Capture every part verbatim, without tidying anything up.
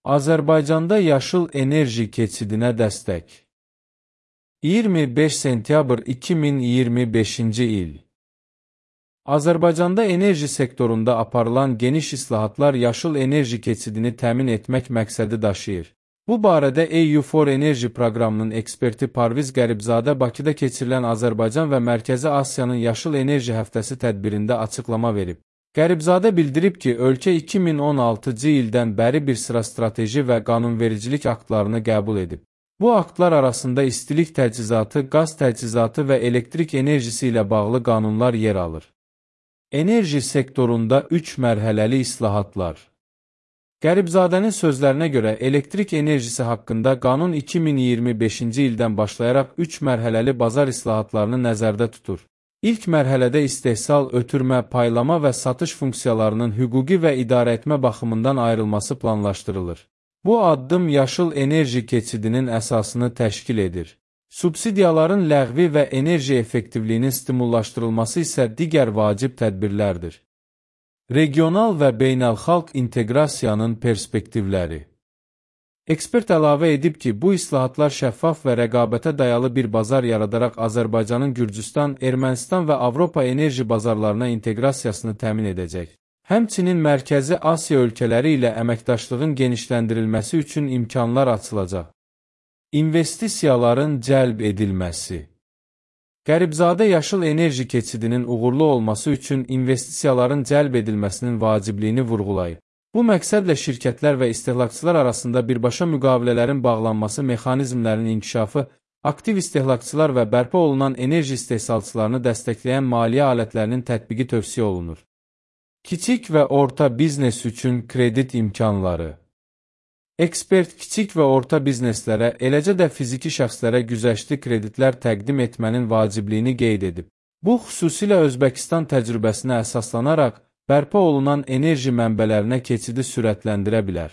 Azərbaycanda yaşıl enerji keçidinə dəstək. iyirmi beş sentyabr iki min iyirmi beşinci il. Azərbaycanda enerji sektorunda aparılan geniş islahatlar yaşıl enerji keçidini təmin etmək məqsədi daşıyır. Bu barədə E U for Energy proqramının eksperti Parviz Qəribzadə Bakıda keçirilən Azərbaycan və Mərkəzi Asiyanın Yaşıl Enerji Həftəsi tədbirində açıqlama verib. Qəribzadə bildirib ki, ölkə iki min on altıncı ildən bəri bir sıra strateji və qanunvericilik aktlarını qəbul edib. Bu aktlar arasında istilik təchizatı, qaz təchizatı və elektrik enerjisi ilə bağlı qanunlar yer alır. Enerji sektorunda üç mərhələli islahatlar. Qəribzadənin sözlərinə görə elektrik enerjisi haqqında qanun iki min iyirmi beşinci ildən başlayaraq üç mərhələli bazar islahatlarını nəzərdə tutur. İlk mərhələdə istehsal, ötürmə, paylama və satış funksiyalarının hüquqi və idarəetmə baxımından ayrılması planlaşdırılır. Bu addım yaşıl enerji keçidinin əsasını təşkil edir. Subsidiyaların ləğvi və enerji effektivliyinin stimullaşdırılması isə digər vacib tədbirlərdir. Regional və beynəlxalq inteqrasiyanın perspektivləri. Ekspert əlavə edib ki, bu islahatlar şəffaf və rəqabətə dayalı bir bazar yaradaraq Azərbaycanın Gürcüstan, Ermənistan və Avropa enerji bazarlarına inteqrasiyasını təmin edəcək. Həmçinin Mərkəzi Asiya ölkələri ilə əməkdaşlığın genişləndirilməsi üçün imkanlar açılacaq. İnvestisiyaların cəlb edilməsi. Qəribzadə yaşıl enerji keçidinin uğurlu olması üçün investisiyaların cəlb edilməsinin vacibliyini vurğulayıb. Bu məqsədlə şirkətlər və istehlakçılar arasında birbaşa müqavilələrin bağlanması mexanizmlərinin inkişafı, aktiv istehlakçılar və bərpa olunan enerji istehsalçılarını dəstəkləyən maliyyə alətlərinin tətbiqi tövsiyə olunur. Kiçik və orta biznes üçün kredit imkanları. Ekspert kiçik və orta bizneslərə, eləcə də fiziki şəxslərə güzəştli kreditlər təqdim etmənin vacibliyini qeyd edib. Bu, xüsusilə Özbəkistan təcrübəsinə əsaslanaraq, bərpa olunan enerji mənbələrinə keçidi sürətləndirə bilər.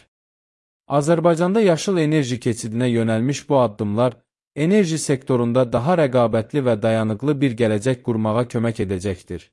Azərbaycanda yaşıl enerji keçidinə yönəlmiş bu addımlar, enerji sektorunda daha rəqabətli və dayanıqlı bir gələcək qurmağa kömək edəcəkdir.